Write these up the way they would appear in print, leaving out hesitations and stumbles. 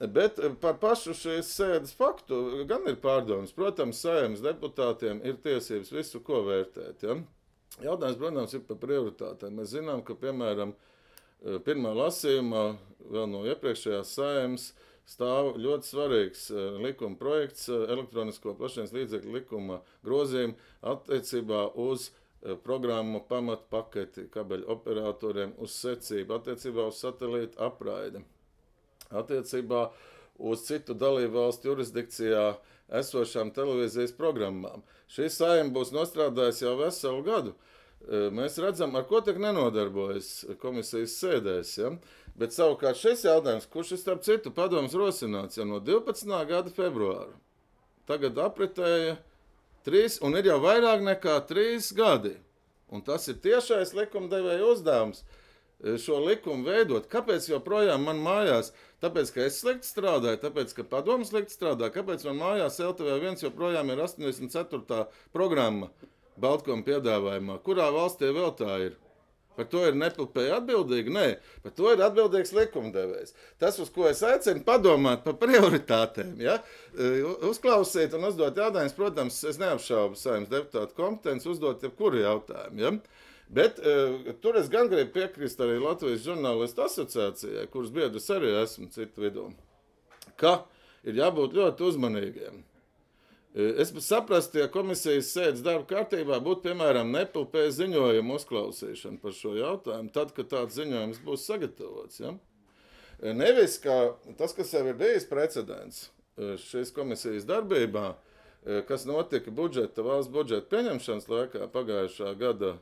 Bet par pašu šīs sēdes faktu gan ir pārdomas. Protams, Saeimas deputātiem ir tiesības visu ko vērtēt. Ja? Jautājums, protams, ir par prioritātēm. Mēs zinām, ka, piemēram, pirmā lasījumā, vēl no iepriekšējās Saeimas, stāv ļoti svarīgs likuma projekts, elektronisko plašsaziņas līdzekļu likuma grozījuma attiecībā uz programmu pamatpaketi kabeļu operatoriem uz secību, attiecībā uz satelītu apraidi. Attiecībā uz citu dalību valstu jurisdikcijā esošām televīzijas programmām. Šī Saeima būs nostrādājusi jau veselu gadu. Mēs redzam, ar ko tik nenodarbojas komisijas sēdēs. Ja? Bet savukārt šis jautājums, kurš ir starp citu padomus rosināts jau no 12. gada februāra, tagad apritēja 3 un ir jau vairāk nekā 3 gadi. Un tas ir tiešais likumdevēja uzdevums. Šo likumu veidot. Kāpēc joprojām man mājās? Tāpēc, ka es slikti strādāju, tāpēc, ka padomu slikti strādā. Kāpēc man mājās LTV1 joprojām ir 84. programma Baltkoma piedāvājumā? Kurā valstī vēl tā ir? Par to ir nepilnspēja atbildīga? Nē, par to ir atbildīgs likumdevējs. Tas, uz ko es aicinu padomāt par prioritātēm, ja? Uzklausīt un uzdot jautājumus, protams, es neapšaubu Saeimas deputātu kompetenci uzdot jebkuru jautājumu, ja? Bet tur es gan gribu piekrist arī Latvijas žurnālistu asociācijai, kuras biedrs arī esmu citu vidū, ka ir jābūt ļoti uzmanīgiem. Es saprastu, ja komisijas sēdes darba kārtībā būtu, piemēram, nepilnspēja ziņojuma uzklausīšana par šo jautājumu, tad, kad tāds ziņojums būs sagatavots. Ja? Nevis, ka tas, kas jau ir bijis precedents šīs komisijas darbībā, kas notika valsts budžeta pieņemšanas laikā pagājušā gada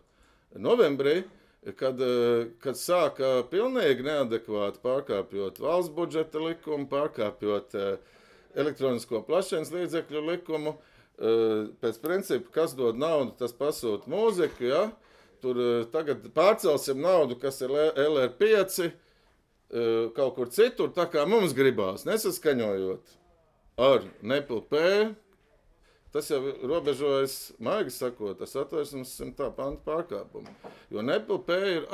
novembrī, kad sāka pilnīgi neadekvāti pārkāpjot valsts budžeta likumu, pārkāpjot elektronisko plašsaziņas līdzekļu likumu, pēc principa, kas dod naudu, tas pasūta mūziku, ja? Tur tagad pārcelsim naudu, kas ir LR5, kaut kur citur, tā kā mums gribās, nesaskaņojot ar nepilnspēju. Tas jau robežojas, maigi sakot, tas Satversmes 100. panta pārkāpumu. Jo nepilnspēja ir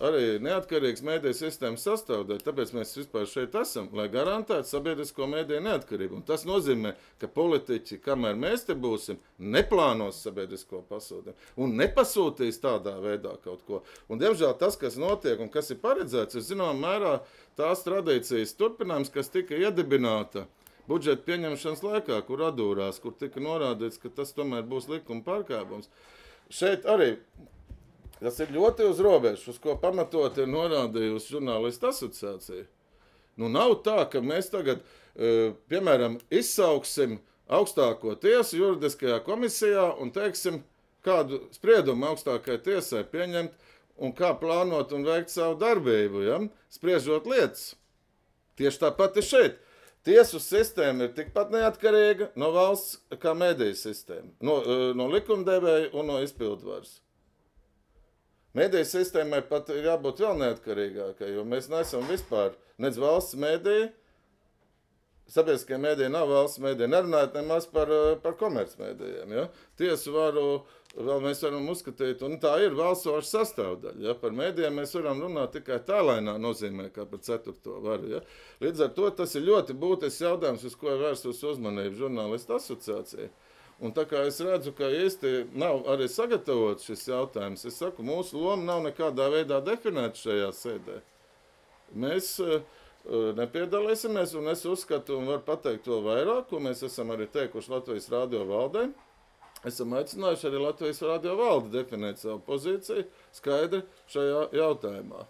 arī neatkarīgs mediju sistēmas sastāvdaļa, tāpēc mēs vispār šeit esam, lai garantētu sabiedrisko mediju neatkarību. Un tas nozīmē, ka politiķi, kamēr mēs te būsim, neplānos sabiedrisko pasūtījumu un nepasūtīs tādā veidā kaut ko. Un, diemžēl, tas, kas notiek un kas ir paredzēts, ir zināmā mērā tās tradīcijas turpinājums, kas tika iedibināta budžeta pieņemšanas laikā, kur atdūrās, kur tika norādīts, ka tas tomēr būs likuma pārkāpums. Šeit arī tas ir ļoti uz robežas, uz ko pamatot ir norādījusi žurnālistu asociācija. Nu, nav tā, ka mēs tagad, piemēram, izsauksim augstāko tiesu juridiskajā komisijā un teiksim, kādu spriedumu augstākajai tiesai pieņemt un kā plānot un veikt savu darbību, ja? Spriežot lietas. Tieši tāpat ir šeit. Tiesu sistēma ir tikpat neatkarīga no valsts kā mediju sistēma, no likumdevēja un no izpildvaras. Mediju sistēmai pat ir jābūt vēl neatkarīgākai, jo mēs neesam vispār nec valsts mediju, sabiedriskie mediji nav valsts mediji, nerunājot nemaz par komercmedijiem. Ja? Tiesu varu vēl mēs varam uzskatīt, un tā ir valsts varas sastāvdaļa. Ja? Par medijiem mēs varam runāt tikai tālainā nozīmē, kā par 4. varu. Ja? Līdz ar to tas ir ļoti būtisks jautājums, uz ko ir vērstus uzmanību žurnālistu asociācija. Un tā kā es redzu, ka īsti nav arī sagatavots šis jautājums, es saku, mūsu loma nav nekādā veidā definēta šajā sēdē. Mēs nepiedalīsimies, un es uzskatu, un varu pateikt to vairāk, ko mēs esam arī teikuši Latvijas radio valdē. Esam aicinājuši arī Latvijas radio valdi definēt savu pozīciju skaidri šajā jautājumā.